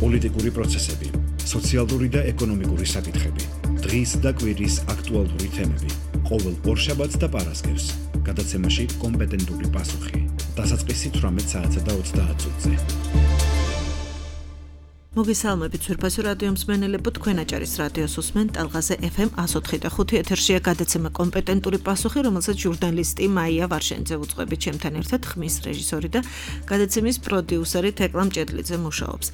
პოლიტიკური პროცესები, სოციალური და ეკონომიკური საკითხები, დღის და კვირის აქტუალური თემები, ყოველ ორშაბათს და პარასკევს, გადაცემაში კომპეტენტური პასუხი, დასაწყისი 18 საათსა და 30 წუთზე. მოგესალმებით ძვირფასო რადიო მსმენელებო, თქვენ აჭარის რადიოს უსმენთ ტალღაზე FM 104.5 ეთერშია გადაცემა კომპეტენტური პასუხი, რომელსაც ჟურნალისტი მაია ვარშენიძე უძღვებით, ჩემთან ერთად ხმის რეჟისორი და გადაცემის პროდიუსერი თეკლა მჭედლიძე მუშაობს.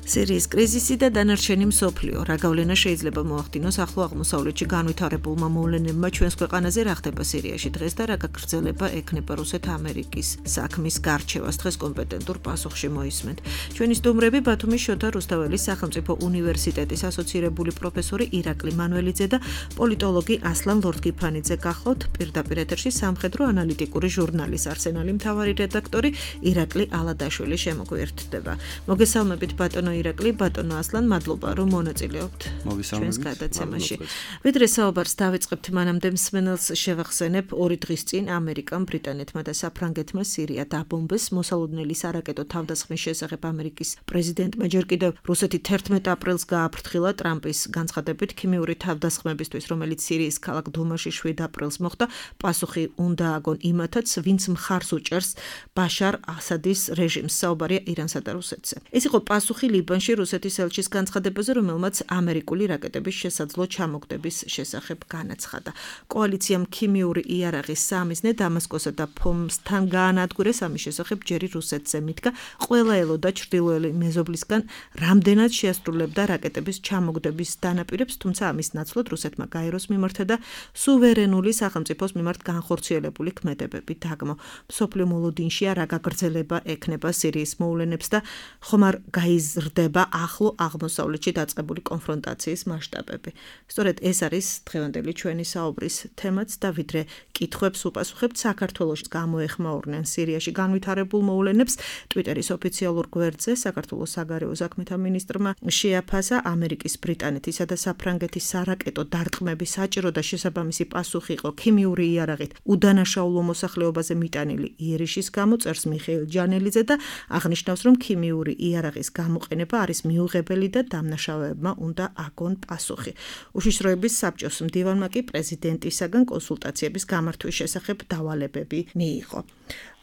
სირიის კრიზისი და დანარჩენი მსოფლიო, რა გავლენა შეიძლება მოახდინოს ახლო აღმოსავლეთში განვითარებულმა მოვლენებმა ჩვენს ქვეყანაზე, რა ხდება სირიაში დღეს და რა გაგრძელება ექნება რუსეთ-ამერიკის საქმის გარჩევას, დღეს კომპეტენტურ პასუხში მოისმენთ. ჩვენი სტუმრები ბათუმის შოთა რუსთაველის სახელმწიფო უნივერსიტეტის ასოცირებული პროფესორი ირაკლი მანველიძე და პოლიტოლოგი ასლან ლორდგიფანიძე გახლავთ. პირდაპირ ეთერში სამხედრო ანალიტიკური ჟურნალის არსენალი მთავარი რედაქტორი ირაკლი ალადაშვილი შემოგვიერთდება. მოგესალმებით ბატონო ირაკლი, ბატონო ასლან, მადლობა რომ მონაწილეობთ ჩვენს გადაცემაში. ვიდრე საუბარს დავიწყებთ, მანამდე მსმენელს შევახსენებ, 2 დღის წინ ამერიკამ, ბრიტანეთმა და საფრანგეთმა სირია დაბომბეს. მოსალოდნელი სარაკეტო თავდასხმის შესახებ ამერიკის პრეზიდენტმა ჯერ კიდევ რუსეთი 11 აპრილს გააფრთხილა ტრამპის განცხადებით ქიმიური თავდასხმებისთვის, რომელიც სირიის ქალაქ დუმაში 7 აპრილს მოხდა, პასუხი უნდა აგონ იმათაც, ვინც მხარს უჭერს ბაშარ ასადის რეჟიმს. საუბარია ირანსა და რუსეთზე. ეს იყო პასუხი ლიბანში რუსეთის ელჩის განცხადებაზე, რომელმაც ამერიკული რაკეტების შესაძლო ჩამოგდების შესახებ განაცხადა. კოალიციამ ქიმიური იარაღის სამიზნე დამასკოსა და ჰომსთან გაანადგურეს, ამის შესახებ ჯერი რუსეთზე მიდგა. ყველა ელოდა ჩრდილოელი მეზობლისგან რამდენად შეასრულებდა რაკეტების ჩამოგდების დანაპირებს, თუმცა ამის ნაცვლად რუსეთმა გაეროს მიმართა და სუვერენული სახელმწიფოს მიმართ განხორციელებული ქმედებები დაგმო. მსოფლიო მოლოდინშია რა გაგრძელება ექნება სირიის მოვლენებს და ხომ არ გაიზრდება ახლო აღმოსავლეთში დაწყებული კონფრონტაციის მასშტაბები. სწორედ ეს არის დღევანდელი ჩვენი საუბრის თემაც და ვიდრე კითხვებს უპასუხებთ, საქართველოს გამოეხმაურნენ სირიაში განვითარებულ მოვლენებს. ტვიტერის ოფიციალურ გვერდზე საქართველოს საგარეო საქმეთა მინისტრმა შეაფასა ამერიკის, ბრიტანეთისა და საფრანგეთის სარაკეტო დარტყმების საჭირო და შესაბამისი პასუხი იყო ქიმიური იარაღით უდანაშაულო მოსახლეობაზე მიტანილი იერიშის გამო, წერს მიხეილ ჯანელიძე და აღნიშნავს, რომ ქიმიური იარაღის გამოყენება არის მიუღებელი და დამნაშავეებმა უნდა აგონ პასუხი. უშიშროების საბჭოს მდივანმა კი პრეზიდენტისაგან კონსულტაციების გამართვის შესახებ დავალებები მიიღო.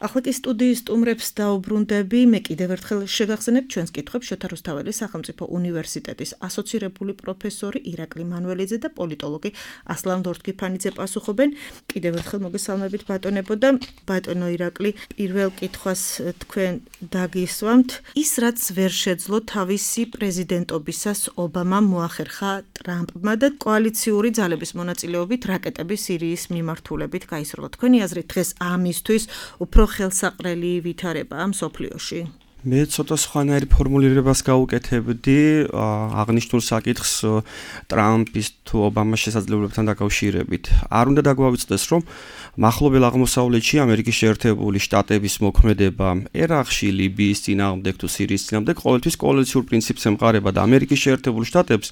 ახლა კი სტუდიის სტუმრებს დაუბრუნდები, მე კიდევ ერთხელ შევახსენებ ჩვენს კითხვებს შოთა რუსთაველის სახელმწიფო უნივერსიტეტის ასოცირებული პროფესორი ირაკლი მანველიძე და პოლიტოლოგი ასლან ლორდგიფანიძე პასუხობენ. კიდევ ერთხელ მოგესალმებით ბატონებო და ბატონო ირაკლი, პირველ კითხვას თქვენ დაგისვამთ. ის რაც ვერ შეძლო თავისი პრეზიდენტობისას ობამამ მოახერხა ტრამპმა და კოალიციური ძალების მონაწილეობით რაკეტების სირიის მიმართულებით გაისროლა. თქვენი აზრით დღეს ამისთვის უფრო ხელსაყრელი ვითარებაა მსოფლიოში? მე ცოტა სხვანაირ ფორმულირებას გავუკეთებდი აღნიშნულ საკითხს ტრამპის თუ ობამას შესაძლებლობებთან დაკავშირებით. არ უნდა დაგვავიწყდეს, რომ მახლობელ აღმოსავლეთში ამერიკის შეერთებული შტატების მოქმედება ერაყში, ლიბიის წინააღმდეგ თუ სირიის წინააღმდეგ ყოველთვის კოალიციურ პრინციპს ემყარება და ამერიკის შეერთებული შტატებს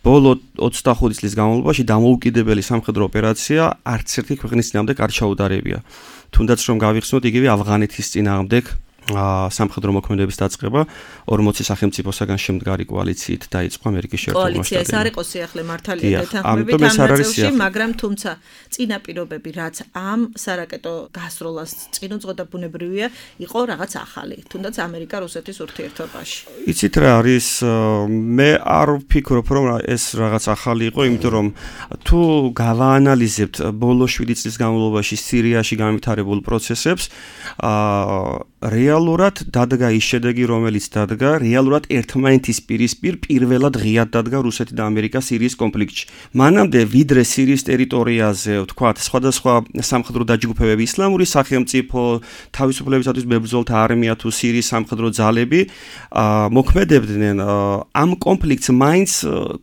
ბოლო 25 წლის განმავლობაში დამოუკიდებელი სამხედრო ოპერაცია არც ერთი ქვეყნის წინააღმდეგ არ ჩაუდარებია. თუნდაც რომ გავიხსნოთ იგივე ავღანეთის წინააღმდეგ სამხედრო მოქმედების დაწყება 40 სახელმწიფოსაგან შემდგარი კოალიციით დაიწყო ამერიკის შეერთებულმა შტატებმა. კოალიცია ეს არ იყო სიახლე მართალია დეთანხმებით ამ ნაწილში, მაგრამ თუმცა წინაპირობები, რაც ამ სარაკეტო გასროლას წინ უძღოდა, ბუნებრივია, იყო რაღაც ახალი, თუნდაც ამერიკა-რუსეთის ურთიერთობაში. იცით რა არის, მე არ ვფიქრობ, რომ ეს რაღაც ახალი იყო, იმიტომ რომ თუ გავაანალიზებთ ბოლო 7 წლის განმავლობაში სირიაში განვითარებულ პროცესებს, რეალურად დადგა ის შედეგი, რომელიც დადგა, რეალურად ერთმანეთის პირისპირ პირველად ღიად დადგა რუსეთი და ამერიკა სირიის კონფლიქტში. მანამდე ვიდრე სირიის ტერიტორიაზე, ვთქვათ, სხვადასხვა სამხედრო დაჯგუფებები, ისლამური სახელმწიფო, თავისუფლებისათვის მებრძოლთა არმია თუ სირიის სამხედრო ძალები მოქმედებდნენ, ამ კონფლიქტს მაინც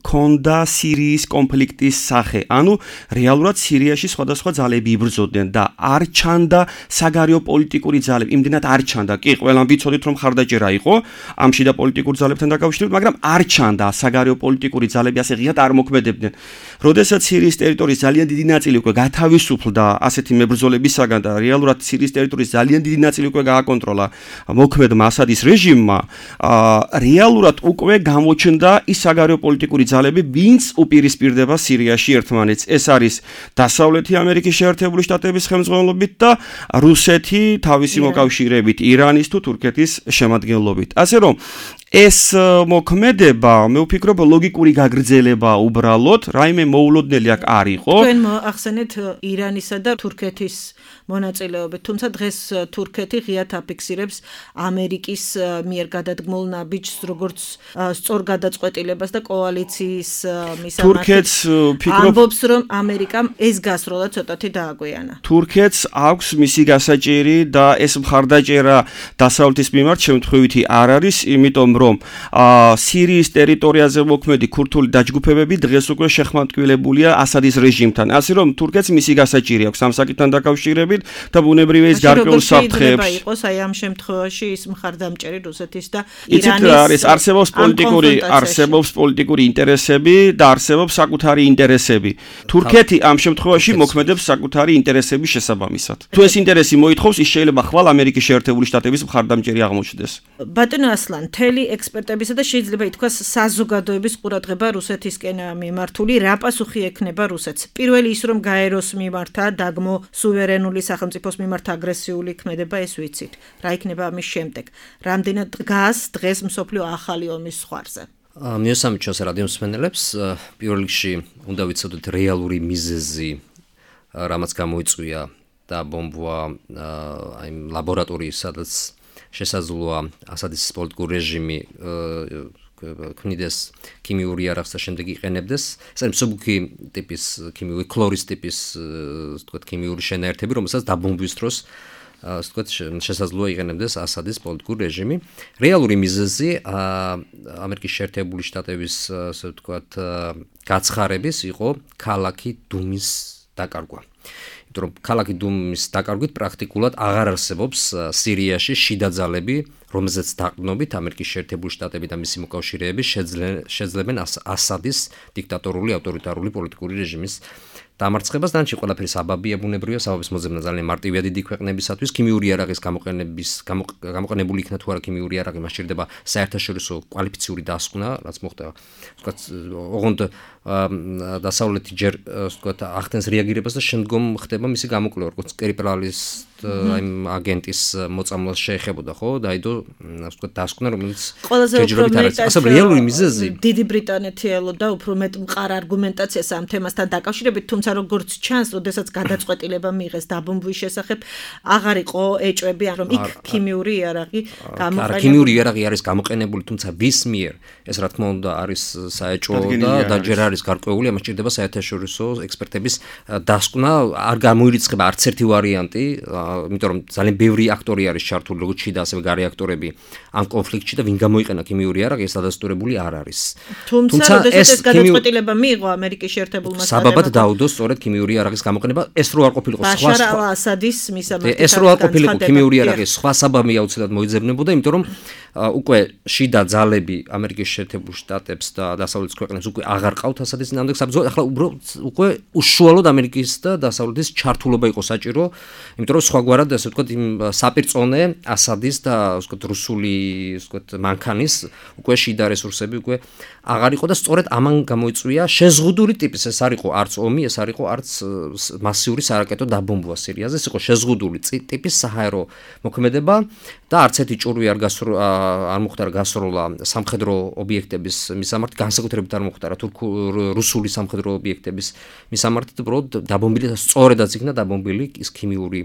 ჰქონდა სირიის კონფლიქტის სახე. ანუ რეალურად სირიაში სხვადასხვა ძალები იბრძოდნენ და არ ჩანდა საგარეო პოლიტიკური ძალები, იმდენად არ ჩანდა. კი, ყველამ ვიცოდით რომ ხარდაჭერა იყო ამ შიდა პოლიტიკურ ძალებთან დაკავშირებით, მაგრამ არ ჩანდა საგარეო პოლიტიკური ძალები ასე ღიად არ მოქმედებდნენ. როდესაც სირიის ტერიტორიის ძალიან დიდი ნაწილი უკვე გათავისუფლდა ასეთი მებრძოლებისაგან და რეალურად სირიის ტერიტორიის ძალიან დიდი ნაწილი უკვე გააკონტროლა მოქმედმა ასადის რეჟიმმა, რეალურად უკვე გამოჩნდა ის საგარეო პოლიტიკური ძალები, ვინც უპირისპირდება სირიაში ერთმანეთს. ეს არის დასავლეთი ამერიკის შეერთებული შტატების ხელმძღვანელობით და რუსეთი თავისი მოკავშირეებით, ირანის თუ თურქეთის შემადგენლობით. ასე რომ ეს მოქმედება, მე ვფიქრობ, ლოგიკური გაგრძელება უბრალოდ, რაიმე მოულოდნელი აქ არ იყო. თქვენ ახსენეთ ირანისა და თურქეთის მონაწილეობით, თუმცა დღეს თურქეთი ღიად აფიქსირებს ამერიკის მიერ გადადგმულ ნაბიჯს, როგორც სწორ გადაწყვეტილებას და კოალიციის მისამართი. თურქეთს ვფიქრობ, ამბობს, რომ ამერიკამ ეს გასროლა ცოტათი დააგვიანა. თურქეთს აქვს მისი გასაჭირი და ეს მხარდაჭერა დასავლეთის მიმართ შემთხვევითი არ არის, იმიტომ რომ სირიის ტერიტორიაზე მოქმედი ქურთული დაჯგუფებები დღეს უკვე შეხმატკივრებულია ასადის რეჟიმთან. ასე რომ თურქეთს მისი გასაჭირი აქვს ამ საკითხთან დაკავშირებით და ბუნებრივია ის გარკვეულ საფრთხეებს. შეიძლება იყოს აი ამ შემთხვევაში ის მხარდამჭერი რუსეთის და ირანის არსებობს პოლიტიკური ინტერესები და არსებობს საკუთარი ინტერესები. თურქეთი ამ შემთხვევაში მოქმედებს საკუთარი ინტერესების შესაბამისად. თუ ეს ინტერესი მოითხოვს, ის შეიძლება ხვალ ამერიკის შეერთებული შტატების მხარდამჭერი აღმოჩნდეს. ბატონო ასლან, მთელი ექსპერტებისა და შეიძლება ითქვას საზოგადოების ყურადღება რუსეთისკენ მიმართული, რა პასუხი ექნება რუსეთს? პირველი ის რომ გაეროს მიმართა, დაგმო სუვერენული სახელმწიფოს მიმართ აგრესიული ქმედება, ეს ვიცით. რა იქნება ამის შემდეგ? რამდენად დგას დღეს მსოფლიო ახალი ომის ზღვარზე? მიესალმებით ჩვენს რადიო მსმენელებს. პირველ რიგში უნდა ვიცოდეთ რეალური მიზეზი, რამაც გამოიწვია და ბომბვა აი ლაბორატორიის, სადაც შესაძლოა ასადის პოლიტიკური რეჟიმი ქმნიდეს ქიმიური იარაღს და შემდეგ იყენებდეს. ეს არის მსუბუქი ტიპის ქიმიური ქლორის ტიპის თქვათ ქიმიური შენაერთები, რომელსაც დაბომბვის დროს თქვათ შესაძლოა იყენებდეს ასადის პოლიტიკური რეჟიმი. რეალური მიზეზი ამერიკის შეერთებული შტატების ასე ვთქვათ გაცხარების იყო ქალაქი დუმის დაკარგვა. იმიტომ რომ ქალაქი დუმის დაკარგვით პრაქტიკულად აღარ არსებობს სირიაში შიდა ძალები, რომელზეც დაყრდნობით ამერიკის შეერთებული შტატები და მისი მოკავშირეები შეძლებენ ასადის დიქტატორული ავტორიტარული პოლიტიკური რეჟიმის დამარცხებას. დანარჩენი ყველაფერი საბაბია, ბუნებრივია, საბაბის მოძებნა ძალიან მარტივია დიდი ქვეყნებისათვის. ქიმიური იარაღის გამოყენებული იქნა თუ არა ქიმიური იარაღი, მას სჭირდება საერთაშორისო კვალიფიციური დასკვნა, რაც მოხდება. ვთქვათ, ოღონდ დასავლეთი ჯერ ვთქვათ ახდენს რეაგირებას და შემდგომ ხდება მისი გამოკვლევა, როგორც კერიპრალის აი აგენტის მოწამვლას შეეხებოდა, ხო? დაიდო ვთქვათ დასკვნა, რომელიც ჯერჯერობით არ არის. ასე რეალური მიზეზი დიდი ბრიტანეთი ელოდა უფრო მეტ მყარ არგუმენტაციას ამ თემასთან დაკავშირებით, თუმცა როგორც ჩანს, როდესაც გადაწყვეტილება მიიღეს დაბომბვის შესახებ, აღარ იყო ეჭვები, რომ იქ ქიმიური იარაღი გამოყენებული. ქიმიური იარაღი არის გამოყენებული, თუმცა ვის მიერ? ეს რა თქმა უნდა არის საეჭვო და ჯერ არის გარკვეული, ამას სჭირდება საერთაშორისო ექსპერტების დასკვნა. არ გამოირიცხება არც ერთი ვარიანტი, იმიტომ რომ ძალიან ბევრი აქტორი არის ჩართული, როგორც შიდა ასევე გარე აქტორები ამ კონფლიქტში და ვინ გამოიყენა ქიმიური იარაღი, ეს დადასტურებული არ არის. თუმცა ეს გადაწყვეტილება მიიღო ამერიკის შეერთებულმა შტატებმა. საბაბად დაუდო სწორედ ქიმიური იარაღის გამოყენება, ეს რო არ ყოფილიყო სხვა ბაშარ ალ-ასადის მისამართი. ეს რო არ ყოფილიყო ქიმიური იარაღის სხვა საბაბი აუცილებლად მოიძებნებოდა, იმიტომ რომ უკვე შიდა ძალები ამერიკის შეერთებულ შტატებს და დასავლეთის ქვეყნებს უკვე აღარ ყავთ ასადის წინააღმდეგ საბრძოლო. ახლა უკვე უშუალოდ ამერიკის და დასავლეთის ჩართულობა იყო საჭირო, იმიტომ რომ სხვაგვარად ასე ვთქვათ იმ საპირწონე ასადის და ასე ვთქვათ რუსული ასე ვთქვათ მანქანის უკვე შიდა რესურსები უკვე აღარ იყო და სწორედ ამან გამოიწვია შეზღუდული ტიპის, ეს არ იყო არც ომი, ეს არ იყო არც მასიური სარაკეტო დაბომბვა სირიაზე, ეს იყო შეზღუდული ტიპის საჰაერო მოქმედება და არც ერთი ჭურვი არ მოხდარა გასროლა სამხედრო ობიექტების მისამართი, განსაკუთრებით არ მოხდარა რუსული სამხედრო ობიექტების მისამართი, უბრალოდ დაბომბილი და სწორედაც იქნა დაბომბილი ის ქიმიური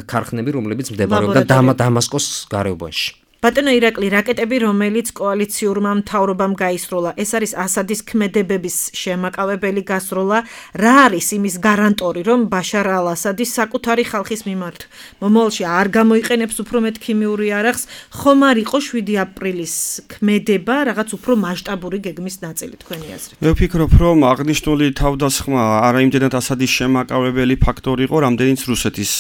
ქარხნები, რომლებიც მდებარეობდა დამასკოს გარეუბანში. ბატონო ირაკლი, რაკეტები, რომელიც კოალიციურმა მთავრობამ გაისროლა, ეს არის ასადის ქმედებების შემაკავებელი გასროლა, რა არის იმის გარანტორი, რომ ბაშარ ალ-ასადის საკუთარი ხალხის მიმართ მომავალში არ გამოიყენებს უფრო მეტ ქიმიური იარაღს, ხომ არ იყო 7 აპრილის ქმედება რაღაც უფრო მასშტაბური გეგმის ნაწილი, თქვენი აზრით? მე ვფიქრობ, რომ აღნიშნული თავდასხმა არა იმდენად ასადის შემაკავებელი ფაქტორი იყო, რამდენიც რუსეთის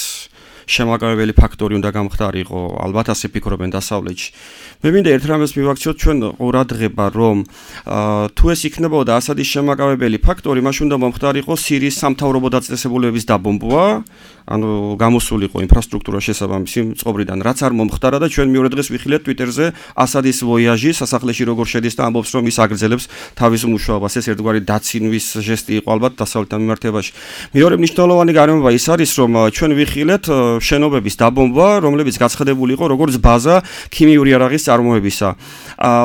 შემაკავებელი ფაქტორი უნდა გამხდარიყო, ალბათ ასე ფიქრობენ დასავლეთში. მე მინდა ერთ რამეს მივაქციოთ ჩვენ ყურადღება, რომ თუ ეს იქნებოდა ასადის შემაკავებელი ფაქტორი, მაშინ უნდა მომხდარიყო სირიის სამთავრობო დაწესებულებების დაბომბვა, ანუ გამოსულიყო ინფრასტრუქტურა შესაბამისი წყობრიდან, რაც არ მომხდარა და ჩვენ მეორე დღეს ვიხილეთ Twitter-ზე ასადის ვოიაჟი სასახლეში როგორ შედის და ამბობს, რომ ის აგრძელებს თავის მუშაობას. ეს ერთგვარი დაცინვის ჟესტი იყო ალბათ დასავლეთთან მიმართებაში. მეორე მნიშვნელოვანი გარემოება ის არის, რომ ჩვენ ვიხილეთ შენობების დაბომბვა, რომლებიც გაცხადებული იყო როგორც ბაზა ქიმიური იარაღის წარმოებისა.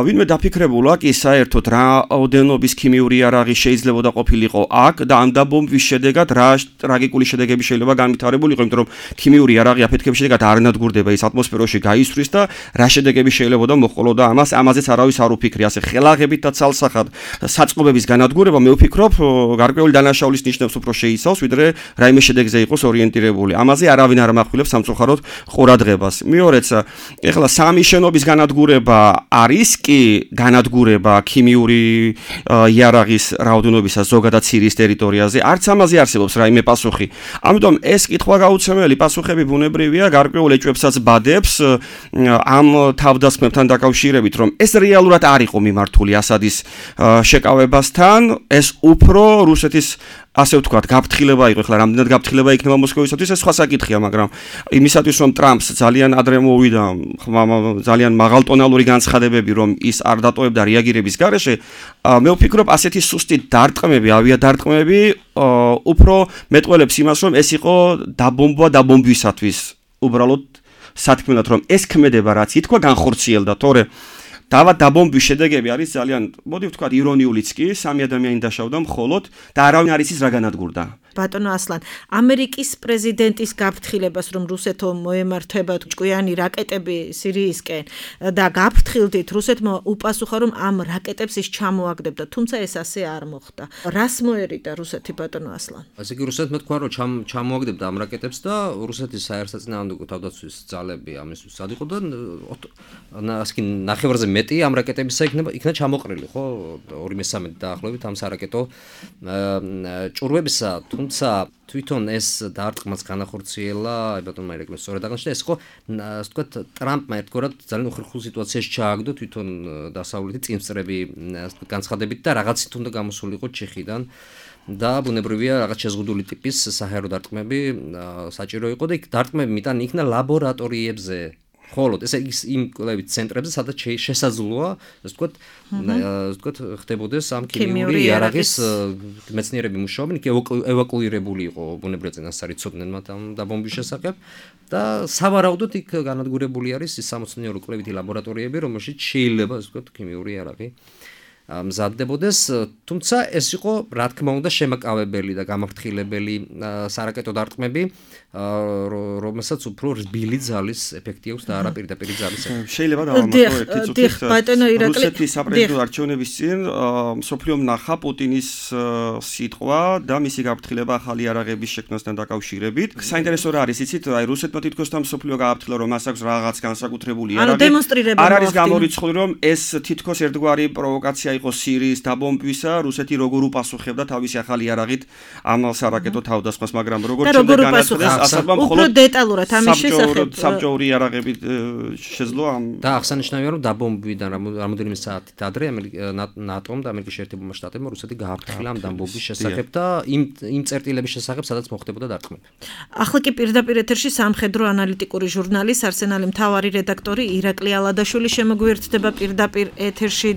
ვინმე დაფიქრებულა კი საერთოდ რაოდენობის ქიმიური იარაღი შეიძლება ყოფილიყო აქ და ამ დაბომბვის შედეგად რა ტრაგიკული შედეგები შეიძლება განვითარებულიყო, იმიტომ რომ ქიმიური იარაღი აფეთქების შედეგად არ ნადგურდება, ის ატმოსფეროში გაისვრის და რა შედეგები შეიძლება მოჰყოლოდა ამაზეც არავის არ უფიქრი. ასე ხელაღებით და ცალსახად საწყობების განადგურება მე ვფიქრობ გარკვეული დანაშაულის ნიშნებს უფრო შეიცავს, ვიდრე რაიმე შედეგზე იყოს ორიენტირებული. ამაზე არავინ არ ამახვილებს სამწუხაროდ ყურადღებას. მეორეც, ეხლა სამი შენობის განადგურება არის კი განადგურება ქიმიური იარაღის რაოდენობისა ზოგადად სირიის ტერიტორიაზე, არც ამაზე არსებობს რაიმე პასუხი. ამიტომ ეს კითხვა გაუცემელი პასუხები ბუნებრივია, გარკვეულ ეჭვებსაც ბადებს ამ თავდასხმებთან დაკავშირებით, რომ ეს რეალურად არ იყო მიმართული ასადის შეკავებასთან, ეს უფრო რუსეთის ასე ვთქვათ, გაფრთხილება იყო, ხლა რამდენად გაფრთხილება იქნება მოსკოვისათვის, ეს სხვა საკითხია, მაგრამ იმისათვის რომ ტრამპს ძალიან ადრე მოვიდა ძალიან მაღალტონალური განცხადებები, რომ ის არ დატოვებდა რეაგირების გარეშე, მე ვფიქრობ, ასეთი სუსტი დარტყმები, ავიადარტყმები უფრო მეტყველებს იმას, რომ ეს იყო დაბომბვა დაბომბვისათვის, უბრალოდ სათქმელად, რომ ეს ქმედება რაც ითქვა განხორციელდა, თორე დაბომბვის შედეგები არის ძალიან, მოდი ვთქვათ, ირონიულიც კი, სამი ადამიანი დაშავდა მხოლოდ და არავინ არ იცის რა განადგურდა. ბატონო ასლან, ამერიკის პრეზიდენტის გაფრთხილებას, რომ რუსეთო მოემართებათ ჭკვიანი რაკეტები სირიისკენ და გაფრთხილდით, რუსეთმა უპასუხა, რომ ამ რაკეტებს ის ჩამოაგდებდა, თუმცა ეს ასე არ მოხდა. რას მოერიდა რუსეთი, ბატონო ასლან? ასე კი რუსეთმა თქვა, რომ ჩამოაგდებდა ამ რაკეტებს და რუსეთის საერთაშორისო თავდაცვის ძალები ამისთვის სად იყო და ასკი ნახევარზე მეტი ამ რაკეტებისა იქნა ჩამოყრილი, ხო? 2/3 დაახლოებით ამ სარაკეტო ჭურვებისა, თუმცა თვითონ ეს დარტყმაც განახორციელა, ბატონმა ირაკლიმ სწორად აღნიშნა, ეს ხო, ასე ვთქვათ, ტრამპმა ერთგვარად ძალიან უხერხულ სიტუაციაში ჩააგდო თვითონ დასავლეთი წინსწრები განცხადებით და რაღაცით უნდა გამოსულიყო ჩეხიდან და ბუნებრივია რაღაც შეზღუდული ტიპის საჰაერო დარტყმები საჭირო იყო და იქ დარტყმები მიტანი იქნა ლაბორატორიებზე. ხოლოდ ეს იმ კვლევით ცენტრებზე, სადაც შესაძლოა, ასე ვთქვათ, ხდებოდეს ამ ქიმიური იარაღის მეცნიერები მუშაობენ, იქ ევაკუირებული იყო ბუნებრივია წინასწარი ცოდნენ მათ ამ დაბომბვის შესახებ და სავარაუდოდ იქ განადგურებული არის ის სამეცნიერო კვლევითი ლაბორატორიები, რომელშიც შეიძლება, ასე ვთქვათ, ქიმიური იარაღი მზადდებოდეს, თუმცა ეს იყო, რა თქმა უნდა, შემაკავებელი და გამაფრთხილებელი სარაკეტო დარტყმები, რომელსაც უფრო რბილი ძალის ეფექტი აქვს და არა პირდაპირი ძალის ეფექტი. შეიძლება დავამატო ერთი წუთით. რუსეთის საპრეზიდენტო არჩევნების წინ მსოფლიომ ნახა პუტინის სიტყვა და მისი გაფრთხილება ახალი იარაღების შექმნასთან დაკავშირებით. საინტერესო რა არის, იცით, აი რუსეთმა თითქოს და მსოფლიო გააფრთხილა, რომ მას აქვს რაღაც განსაკუთრებული იარაღი. არ არის გამორიცხული, რომ ეს თითქოს ერთგვარი პროვოკაცია იყო სირიის დაბომბვისა, რუსეთი როგორ უპასუხებდა თავისი ახალი იარაღით ამ სარაკეტო თავდასხმას, მაგრამ როგორ შემდეგ განაცხადეს ასაბამ უფრო დეტალურად ამის შესახებ საბჭოური იარაღებით შეძლო ამ და აღსანიშნავია, რომ დაბომბვიდან რამოდენიმე საათით ადრე ნატომ და ამერიკის შეერთებულმა შტატებმა რუსეთი გააფრთხილა ამ დაბომბვის შესახებ და იმ წერტილების შესახებ, სადაც მოხდებოდა დარტყმები. ახლა კი პირდაპირ ეთერში სამხედრო ანალიტიკური ჟურნალის არსენალი მთავარი რედაქტორი ირაკლი ალადაშვილი შემოგვიერთდება პირდაპირ ეთერში.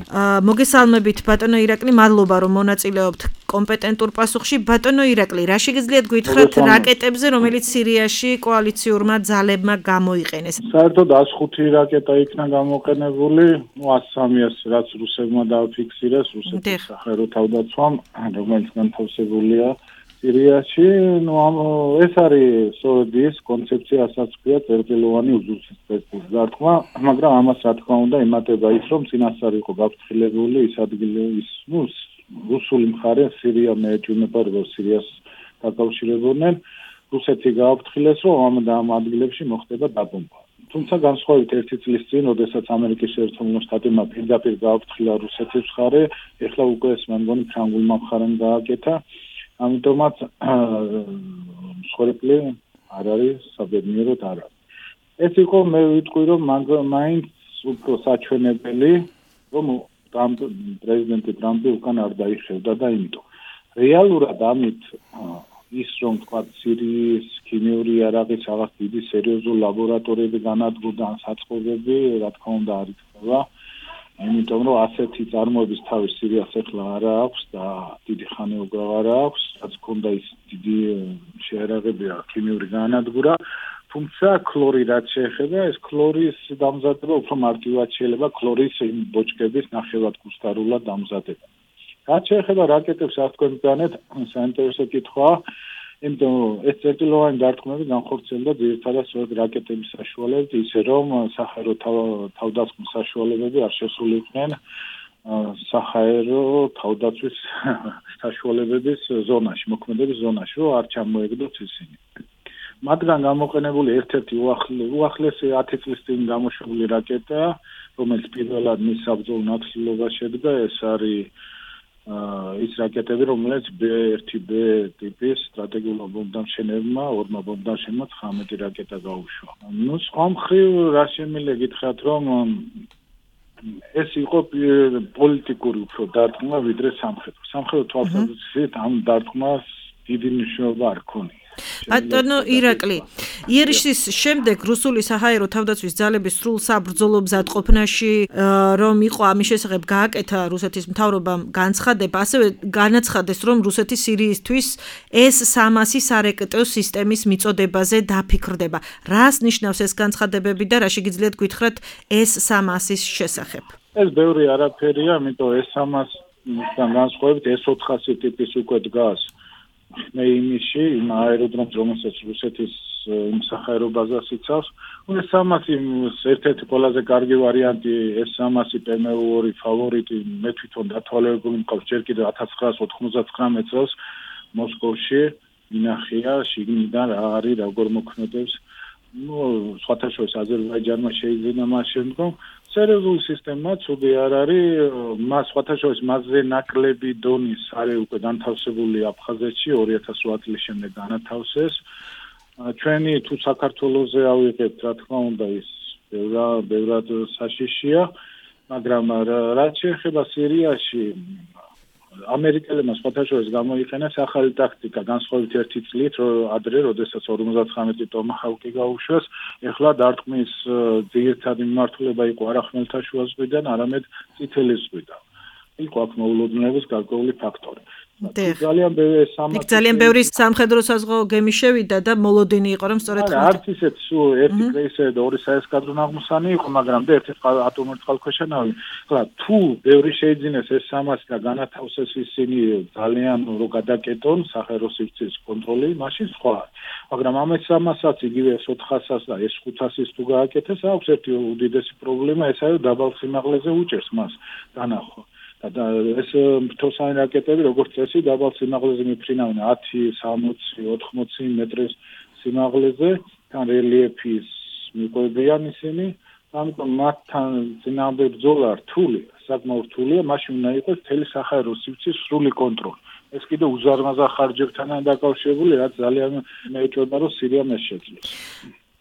მოგესალმებით ბატონო ირაკლი, მადლობა რომ მონაწილეობთ კომპეტენტურ პასუხში. ბატონო ირაკლი, რა შეგიძლიათ გითხრათ რაკეტებზე, რომელიც სირიაში კოალიციურმა ძალებმა გამოიყენეს? საერთოდ 105 რაკეტა იქნა გამოყენებული, 103-ს რაც რუსებმა დააფიქსირეს, რუსეთის საჰაერო თავდაცვამ, რომელიც განთავსებულია სირიაში. ეს არის სოветის კონცეფციასაც ქვია წერტილოვანი უზუსტესი დარტყმა, მაგრამ ამას რა თქმა უნდა ემატება ის, რომ წინასწარ იყო გაფრთხილებული ის ადგილი, რუსული მხარე სირია მეეჭვნება, როგორც სირიას დაკავშირებულნენ. რუსეთი გააფრთხილეს, რომ ამ ადგილებში მოხდება დაბომბვა. თუმცა განსხვავებით ერთი წლის წინ, როდესაც ამერიკის შეერთებულმა შტატებმა პირდაპირ გააფრთხილა რუსეთის მხარე, ეხლა უკვე ეს მე მგონი ფრანგულმა მხარემ გააკეთა. ამიტომაც მსხვერპლი არ არის საბედნიეროდ არ არის. ეს იყო მე ვიტყვი რომ მაინც უფრო საჩვენებელი რომ პრეზიდენტი ტრამპი უკან არ დაიხევდა და იმიტომ რეალურად ამით ის რომ თქვა სირიის ქიმიური იარაღის რაღაც დიდი სერიოზული ლაბორატორიები განადგურდა ან საწყობები რა თქმა უნდა არ იქნება იმიტომ რომ ასეთი წარმოების თავი სირიას ახლა არ აქვს და დიდი ხანი უკვე არ აქვს რაც ქონდა ის დიდი შეერაღებია ქიმიური განადგურა თუმცა ქლორი რაც შეეხება ეს ქლორის დამზადება უფრო მარტივად შეიძლება ქლორის იმ ბოჭკების ნახევად გუსტარულად დამზადება რაც შეეხება რაკეტებს არ თქვენ განეთ საინტერესო კითხვაა იმიტომ ეს წერტილოვანი დარტყმები განხორციელდა ძირითადად სწორედ რაკეტების საშუალებით ისე რომ საჰაერო თავდასხმის საშუალებები არ შესულიყვნენ საჰაერო თავდაცვის საშუალებების ზონაში მოქმედების ზონაში რომ არ ჩამოეგდოთ ისინი მათგან გამოყენებული ერთ-ერთი უახლესი 10 წლის წინ გამოშვებული რაკეტა რომელიც პირველად მის საბრძოლო ნათლილობას შედგა ეს არის ის რაკეტები რომელიც B1B ტიპის სტრატეგიულ ბომბდამშენებმა ორმა ბომბდამშენებმა 19 რაკეტა გაუშვა. ნუ სხვა მხრივ რა შემიძლია გითხრათ რომ ეს იყო პოლიტიკური უფრო დარტყმა ვიდრე სამხედრო. სამხედრო თვალსაზრისით ამ დარტყმას დიდი მნიშვნელობა არ ქონია. ბატონო ირაკლი, იერიშის შემდეგ რუსული საჰაერო თავდაცვის ძალების სრულ საბრძოლო მზადყოფნაში რომ იყო ამის შესახებ გააკეთა რუსეთის მთავრობამ განცხადება, ასევე განაცხადეს რომ რუსეთი სირიისთვის S-300 სარეკეტო სისტემის მიწოდებაზე დაფიქრდება. რას ნიშნავს ეს განცხადებები და რა შეგიძლიათ გითხრათ S-300-ის შესახებ? ეს ბევრი არაფერია, ამიტომ S-300-დან განსხვავებით S-400 ტიპის უკვე დგას მე იმიში იმ აეროდრომს რომელსაც რუსეთის საჰაერო ბაზას იცავს S-300 ერთ-ერთი ყველაზე კარგი ვარიანტი S-300 PM2 ფავორიტი მე თვითონ დათვალიერებული მყავს ჯერ კიდევ 1999 წელს მოსკოვში მინახია შიგნიდან რა არის როგორ მოქმედებს სხვათა შორის აზერბაიჯანმა შეიძინა მას შემდგომ სერიოზული სისტემა ცუდი არ არის მას სხვათა შორის მასზე ნაკლები დონის არის უკვე განთავსებული აფხაზეთში 2008 წლის შემდეგ განათავსეს ჩვენი თუ საქართველოზე ავიღებთ რა თქმა უნდა ის ბევრად საშიშია მაგრამ რაც შეეხება სირიაში ამერიკელებმა სხვათა შორის გამოიყენეს ახალი ტაქტიკა განსხვავებით ერთი წლით ადრე როდესაც 59 ტომაჰავკი გაუშვეს ეხლა დარტყმის ძირითადი მიმართულება იყო არა ხმელთაშუა ზღვიდან არამედ წითელი ზღვიდან იყო აქ მოულოდნელობის გარკვეული ფაქტორი ძალიან ბევრი სამხედრო საზღვაო გემი შევიდა და მოლოდინი იყო რომ სწორედ არც ისეთ ერთი კრეისერი და ორი საესკადრო ნაღმოსანი იყო მაგრამ და ერთი ატომური წყალქვეშა-ნავი ხლა თუ ბევრი შეიძინეს S-300 და განათავსეს ისინი ძალიან რო გადაკეტონ საჰაერო სივრცის კონტროლი მაშინ სხვა მაგრამ ამ S-300-საც იგივე S-400-ს და S-500-ს თუ გააკეთეს აქვს ერთი უდიდესი პრობლემა ეს არის დაბალ სიმაღლეზე უჭერს მას დანახვა და ეს მთოსანი რაკეტები როგორც წესი დაბალ სიმაღლეზე მიფრინავენ 10, 60, 80 მეტრის სიმაღლეზე თან რელიეფის მიყვებიან ისინი ამიტომ მათთან წინააღმდეგ ბრძოლა რთულია საკმაოდ რთულია მაშინ უნდა იყოს მთელი საჰაერო სივრცის სრული კონტროლი ეს კიდე უზარმაზარ ხარჯებთანაა დაკავშირებული რაც ძალიან მეეჭვება რომ სირიამ ეს შეძლოს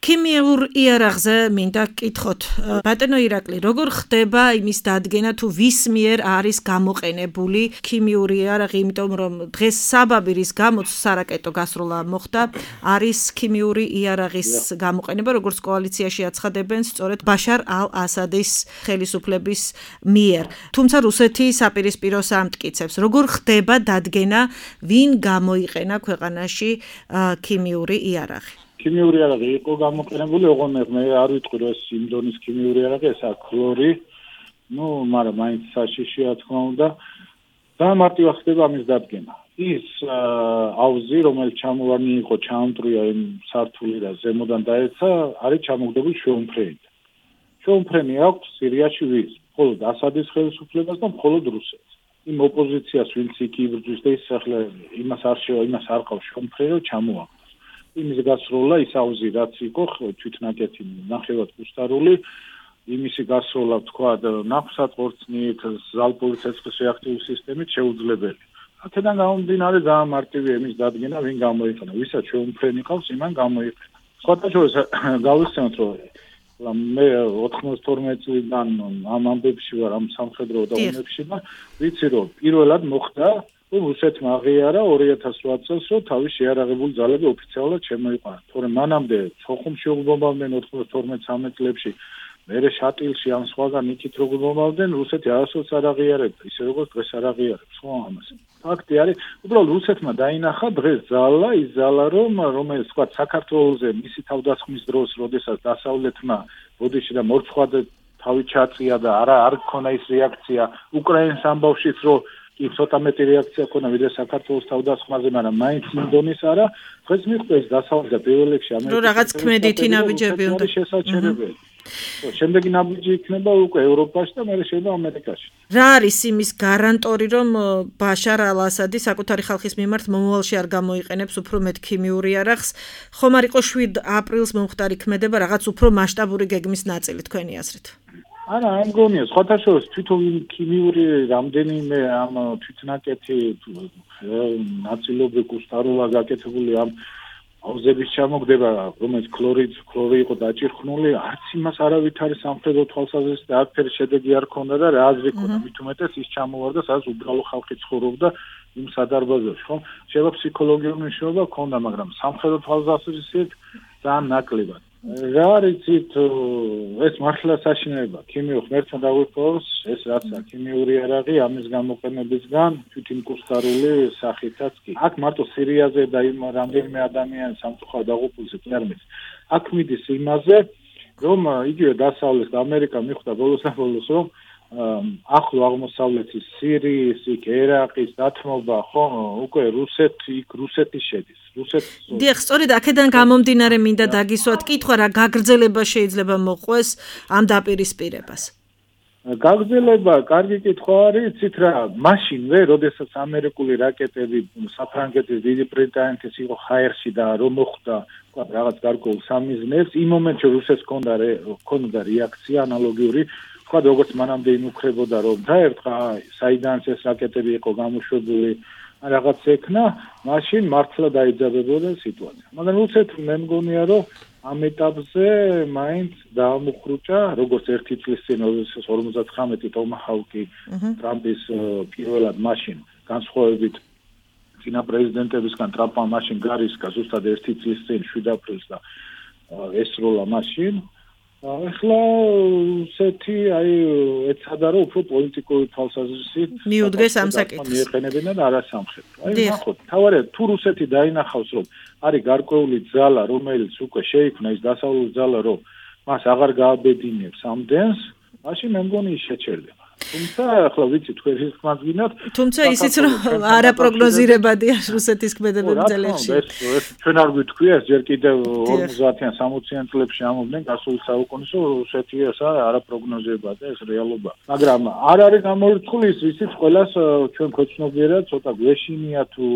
ქიმიურ იარაღზე მინდა გკითხოთ ბატონო ირაკლი როგორ ხდება იმის დადგენა თუ ვის მიერ არის გამოყენებული ქიმიური იარაღი იმიტომ რომ დღეს საბაბი რის გამოც სარაკეტო გასროლა მოხდა არის ქიმიური იარაღის გამოყენება როგორც კოალიციაში აცხადებენ სწორედ ბაშარ ალ-ასადის ხელისუფლების მიერ თუმცა რუსეთი საპირისპიროს ამტკიცებს როგორ ხდება დადგენა ვინ გამოიყენა ქვეყანაში ქიმიური იარაღი ქიმიური იარაღი იყო გამოყენებული, ოღონდ მე არ ვიტყვი რომ ეს იმ დონის ქიმიური იარაღი, ეს ქლორი. ნუ, მაგრამ მაინც საშიშია თქმა უნდა. და მარტივად ხდება ამის დადგენა. ის აუზი, რომელიც ჩამოვარნი იყო, ჩაამტრია იმ სართული და ზემოდან დაეცა, არის ჩამოგდებული შეუმფრენით. შეუმფრენი აქვს სირიაში ვის? მხოლოდ ასადის ხელისუფლებას და მხოლოდ რუსეთს. იმ ოპოზიციას ვინც იქ იბრძვის და ის ახლა იმას არ ყავს შეუმფრენი რომ ჩამოაყენოს. იმის გასროლა ის აუზი რაც იყო თვითნაკეთი ნახევად გუსტარული იმისი გასროლა თქვა ნაფსატყორცნით ზალპური ცეცხლის რეაქტიული სისტემით შეუძლებელი აქედან გამომდინარე ძალიან მარტივი ემის დადგენა, ვინ გამოიყენა, ვისაც შეუმფრენი ყავს, იმან გამოიყენა. სხვათა შორის გავიხსენოთ, რომ მე 92 წლიდან ამ ამბებში ვარ, ამ სამხედრო დაუნებში და ვიცი, რომ პირველად მოხდა, რომ რუსეთმა აღიარა 2008 წელს, რომ თავის შეიარაღებული ძალები ოფიციალურად შემოიყვანა. თორემ მანამდე სოხუმში უგბობდნენ 92-13 წლებში მერე შატილში ან სხვაგან იქით როგორ მომავდნენ რუსეთი არასოდეს არ აღიარებდა ისე როგორც დღეს არ აღიარებს ხო ამას ფაქტი არის უბრალოდ რუსეთმა დაინახა დღეს ძალა ის ძალა რომელიც თქვა საქართველოზე მისი თავდასხმის დროს როდესაც დასავლეთმა ბოდიში და მორცხვად თავი ჩაწია და არ გქონა ის რეაქცია უკრაინის ამბავშიც რომ კი ცოტა მეტი რეაქცია ქონა ვიდრე საქართველოს თავდასხმაზე მაგრამ მაინც იმ დონის არა დღეს მიხვდეს დასავლეთ და პირველ რიგში ამერიკის რომ რაღაც ქმედითი ნაბიჯები უნდა შესაძლებელი შემდეგი ნაბიჯი იქნება უკვე ევროპაში და მერე შეიძლება ამერიკაში. რა არის იმის გარანტორი, რომ ბაშარ ალ-ასადი საკუთარი ხალხის მიმართ მომავალში არ გამოიყენებს უფრო მეტ ქიმიური იარაღს? ხომ არ იყო 7 აპრილს მომხდარი ქმედება რაღაც უფრო მასშტაბური გეგმის ნაწილი თქვენი აზრით? არა, ამ გონია, სხვათა შორის თვითონ ქიმიური რამდენიმე ამ თვითნაკეთი ნაწილობრივ გუსტაროა გაკეთებული ამ აუზების ჩამოგდება, რომელიც ქლორი იყო დაჭირხნული, არც იმას არავით არის სამხედრო თვალსაზრისით და არაფერი შედეგი არ ქონდა და რა აზრი ქონდა, მით უმეტეს ის ჩამოვარდა, სადაც უბრალო ხალხი ცხოვრობდა იმ სადარბაზოში, ხო? შეიძლება ფსიქოლოგიური მნიშვნელობა ქონდა, მაგრამ სამხედრო თვალსაზრისით ძალიან ნაკლებად. რა არის ეს მართლა საშინელება, ქიმიურ ღმერთთან დაგვიყვავს, ეს რაცა ქიმიური იარაღი ამის გამოყენებისგან თვითიმკუსტარული სახითაც კი. აქ მარტო სირიაზე და იმ რამდენიმე ადამიანის სამწუხაროდ დაღუპულზე კი არ მეც. აქ მიდის იმაზე, რომ იგივე დასავლეთ ამერიკა მიხვდა ბოლოს რომ ახლო აღმოსავლეთის სირიის, ერაყის დათმობა, ხო, უკვე რუსეთი შედის. დიახ, სწორედ აქედან გამომდინარე მინდა დაგისვათ კითხვა, რა გაგრძელება შეიძლება მოყვეს ამ დაპირისპირებას. გაგრძელება, კარგი კითხვა არის, იცით რა, მაშინვე, როდესაც ამერიკული რაკეტები საფრანგეთის დიდი ბრიტანეთის იყო ჰაერში და რომ მოხდა, თქვა რაღაც გარკვეულ სამიზნეებს, იმ მომენტში რუსეთს ჰქონდა რეაქცია ანალოგიური თქვა როგორც მანამდე იმუქრებოდა რომ დაერთხა საიდანაც ეს რაკეტები იყო გამოშვებული რაღაც ეკნა მაშინ მართლა დაიძაბებოდა სიტუაცია მაგრამ უცეთ მე მგონია რომ ამ ეტაპზე მაინც დაამუხრუჭა როგორც ერთი წლის წინ 59 ტომაჰავკი ტრამპის პირველად მაშინ განსხვავებით წინა პრეზიდენტებისგან ტრამპმა მაშინ გარისკა ზუსტად ერთი წლის წინ 7 აპრილს და ესროლა მაშინ ახლა სეთი აი ეცადა რომ უფრო პოლიტიკური თვალსაზრისით მიუდგეს ამ საკითხს მიეყენებინა და არა სამხედრო. აი ნახოთ, თავარია თუ რუსეთი დაინახავს რომ არის გარკვეული ძალა რომელიც უკვე შეიქმნა ის დასავლური ძალა რომ მას აღარ გააბედინებს ამდენს, მაშინ მე მგონი ის შეჩერდება. თუმცა ახლა ვიცი თქვენ ის ხმას გინათ თუმცა ისიც რომ არაპროგნოზირებადია რუსეთის ქმედებები ძალებში ეს ჩვენ არ გვიტყვია ეს ჯერ კიდევ 50-იან 60-იან წლებში ამობდნენ გასულ საუკუნის რომ რუსეთი ეს არაპროგნოზირებადია ეს რეალობა მაგრამ არ არის გამორიცხული ის ვიცით ყველას ჩვენ ქვეცნობიერად ცოტა გვეშინია თუ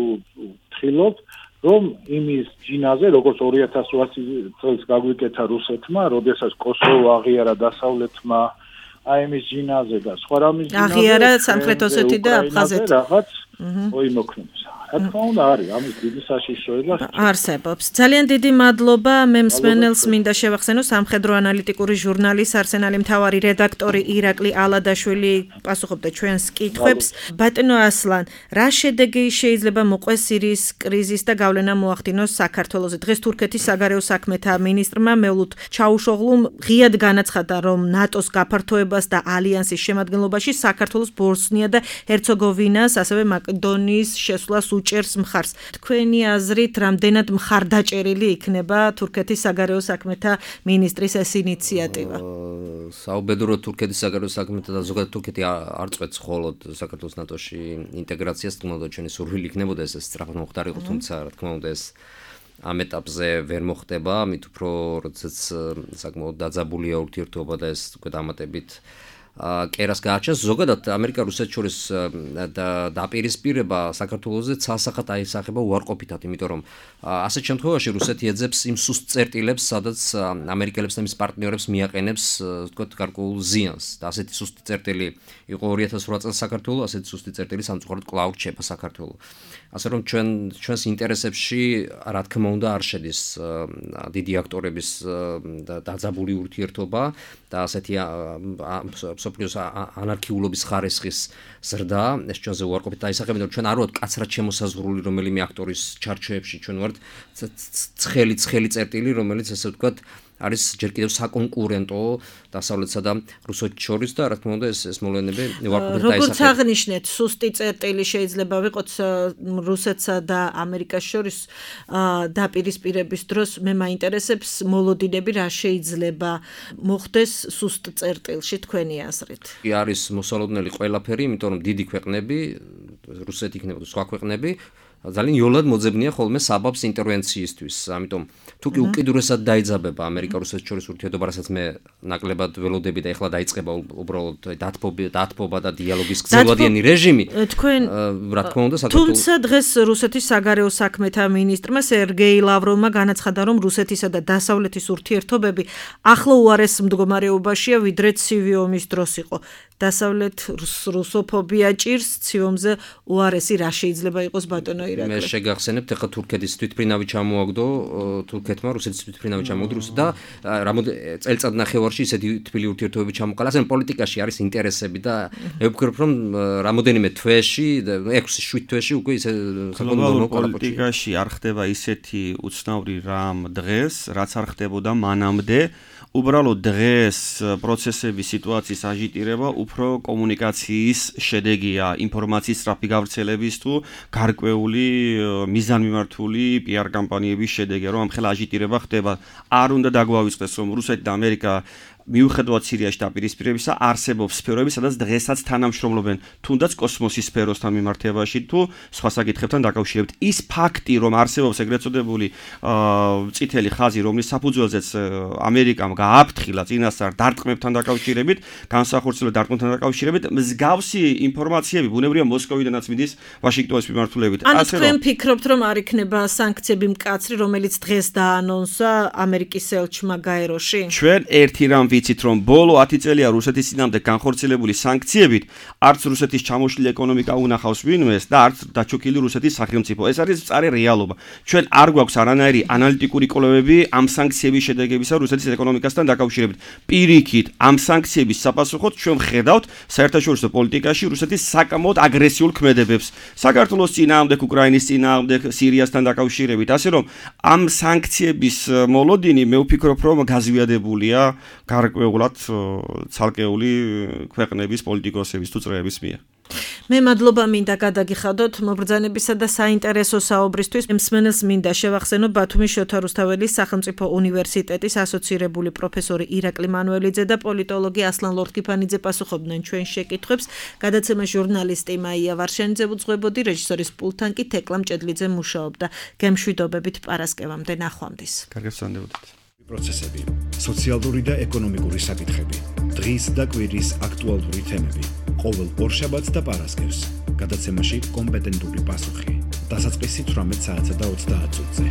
თხილობთ რომ იმის ჯინაზე როგორც 2008 წელს გაგვიკეთა რუსეთმა როდესაც კოსოვო აღიარა დასავლეთმა აი მის ჯინაზე და სხვა რამის ჯინაზე აღიარა სამხრეთ ოსეთი და აფხაზეთი რაღაც მოიმოქმედებს. რა თქმა უნდა არის ამის დიდი საშიშროება არსებობს. ძალიან დიდი მადლობა მე მსმენელს მინდა შევახსენო სამხედრო ანალიტიკური ჟურნალის არსენალი მთავარი რედაქტორი ირაკლი ალადაშვილი პასუხობდა ჩვენს კითხვებს. ბატონო ასლან, რა შედეგი შეიძლება მოყვეს სირიის კრიზის და გავლენა მოახდინოს საქართველოზე? დღეს თურქეთის საგარეო საქმეთა მინისტრმა მევლութ ჩაუშოღლუმ ღიად განაცხადა რომ ნატოს გაფართოებას და ალიანსის შემადგენლობაში საქართველოს ბოსნია და ჰერცეგოვინას ასევე მაკედონიის შესვლას უჭერს მხარს. თქვენი აზრით, რამდენად მხარდაჭერილი იქნება თურქეთის საგარეო საქმეთა მინისტრის ეს ინიციატივა? საუბედუროთ თურქეთის საგარეო საქმეთა და ზოგადად თურქეთი არ წვეთს მხოლოდ საქართველოს ნატოში ინტეგრაციას, თქმა უნდა ჩვენი სურვილი იქნებოდა ეს სწრაფად მოხდარიყო, თუმცა რა თქმა უნდა ეს ამ ეტაპზე ვერ მოხდება, მით უფრო როდესაც საკმაოდ დაძაბულია ურთიერთობა და ეს უკვე დამატებით კერას გააჩენს. ზოგადად ამერიკა-რუსეთს შორის დაპირისპირება საქართველოზე ცალსახად აისახება უარყოფითად, იმიტომ რომ ასეთ შემთხვევაში რუსეთი ეძებს იმ სუსტ წერტილებს, სადაც ამერიკელებს და მის პარტნიორებს მიაყენებს, ვთქვათ, გარკვეულ ზიანს. და ასეთი სუსტი წერტილი იყო 2008 წელს საქართველოს, ასეთი სუსტი წერტილი სამწუხაროდ კვლავ რჩება საქართველოს. ასე რომ ჩვენს ინტერესებში, რა თქმა უნდა, არ შედის დიდი აქტორების დაძაბული ურთიერთობა და ასეთი სოფლიოს ანარქიულობის ხარისხის ზრდა, ეს ჩვენზე უარყოფით დაისახება, რომ ჩვენ არ ვართ კაცრად შემოსაზღვრული რომელიმე აქტორის ჩარჩოებში, ჩვენ ვართ ცხელი წერტილი, რომელიც ასე ვთქვათ არის ჯერ კიდევ საკონკურენტო დასავლეთსა და რუსეთს შორის და რა თქმა უნდა ეს მოვლენები უარყოფით დაისახება. როგორც აღნიშნეთ, სუსტი წერტილი შეიძლება ვიყოთ რუსეთსა და ამერიკას შორის დაპირისპირების დროს მე მაინტერესებს მოლოდინები რა შეიძლება მოხდეს სუსტ წერტილში თქვენი აზრით. არის მოსალოდნელი ყველაფერი, იმიტომ რომ დიდი ქვეყნები, რუსეთი იქნება სხვა ქვეყნები ძალიან იოლად მოძებნია ხოლმე საბაბს ინტერვენციისთვის. ამიტომ თუ კი უკიდურესად დაიძაბება ამერიკა-რუსეთის შორის ურთიერთობა, რასაც მე ნაკლებად ველოდები და ეხლა დაიწყება უბრალოდ დათბობა და დიალოგის გრძელვადიანი რეჟიმი. რა თქმა უნდა, თუმცა დღეს რუსეთის საგარეო საქმეთა მინისტრმა სერგეი ლავროვმა განაცხადა, რომ რუსეთისა და დასავლეთის ურთიერთობები ახლა უარეს მდგომარეობაშია, ვიდრე ცივი ომის დროს იყო. დასავლეთ რუსოფობია ჭირს, ცივ ომზე უარესი რა შეიძლება იყოს ბატონო ირაკლი. მე შეგახსენებთ, ახლა თურქეთის თვითმფრინავი ჩამოაგდო თურქეთმა, რუსეთის თვითმფრინავი ჩამოაგდო და წელიწად ნახევარში ისეთი თბილი ურთიერთობები ჩამოყალიბდა. ასე პოლიტიკაში არის ინტერესები და მე ვფიქრობ, რომ რამოდენიმე თვეში, 6-7 თვეში უკვე ისე გლობალურ პოლიტიკაში არ ხდება ისეთი უცნაური რამ დღეს, რაც არ ხდებოდა მანამდე. უბრალოდ დღეს პროცესების სიტუაციის აჟიტირება უფრო კომუნიკაციის შედეგია, ინფორმაციის სწრაფი გავრცელების თუ გარკვეული მიზანმიმართული PR კამპანიების შედეგია, რომ ამხელა აჟიტირება ხდება. არ უნდა დაგვავიწყდეს, რომ რუსეთი და ამერიკა მიუხედავად სირიაში დაპირისპირებისა არსებობს სფეროები, სადაც დღესაც თანამშრომლობენ, თუნდაც კოსმოსის სფეროსთან მიმართებაში თუ სხვა საკითხებთან დაკავშირებით. ის ფაქტი, რომ არსებობს ეგრეთ წოდებული წითელი ხაზი, რომლის საფუძველზეც ამერიკამ გააფრთხილა წინასწარ დარტყმებთან დაკავშირებით, განსახორციელო დარტყმებთან დაკავშირებით, მსგავსი ინფორმაციები ბუნებრივია მოსკოვიდანაც მიდის ვაშინგტონის მიმართულებით. ანუ თქვენ ფიქრობთ, რომ არ იქნება სანქციები მკაცრი, რომელიც დღეს დაანონსა ამერიკის ელჩმა გაეროში? ჩვენ ერთი რამ ვიცით, რომ ბოლო 10 წელია რუსეთის წინამდე განხორციელებული სანქციებით არც რუსეთის ჩამოშლილი ეკონომიკა უნახავს ვინმეს და არც დაჩოქილი რუსეთის სახელმწიფო. ეს არის მწარე რეალობა. ჩვენ არ გვაქვს არანაირი ანალიტიკური კვლევები ამ სანქციების შედეგებისა რუსეთის ეკონომიკასთან დაკავშირებით. პირიქით, ამ სანქციების საფასუხოდ ჩვენ ვხედავთ საერთაშორისო პოლიტიკაში რუსეთის საკამოდ აგრესიულ ქმედებებს. საქართველოს წინააღმდეგ, უკრაინის წინააღმდეგ, სირიასთან დაკავშირებით. ასე რომ ამ სანქციების მოლოდინი მე ვფიქრობ, რომ გაზვიადებულია გარკვეულად ცალკეული ქვეყნების პოლიტიკოსების თუ წრეების მიერ. მე მადლობა მინდა გადაგიხადოთ მობრძანებისა და საინტერესო საუბრისთვის. მსმენელს მინდა შევახსენო ბათუმის შოთა რუსთაველის სახელმწიფო უნივერსიტეტის ასოცირებული პროფესორი ირაკლი მანუელიძე და პოლიტოლოგი ასლან ლორთქიფანიძე პასუხობდნენ ჩვენ შეკითხვებს. გადაცემა ჟურნალისტი მაია ვარშენიძე უძღვებოდი, რეჟისორის პულტთან კი თეკლა მჭედლიძე მუშაობდა. გემშვიდობებით პარასკევამდე ნახვამდის. კარგად ვსვენდებოდეთ. პროცესები, სოციალური და ეკონომიკური საკითხები, დღის და კვირის აქტუალური თემები. ყოველ ორშაბათს და პარასკევს გადაცემაში კომპეტენტური პასუხი. დასაწყისი 18 საათსა და 30 წუთზე.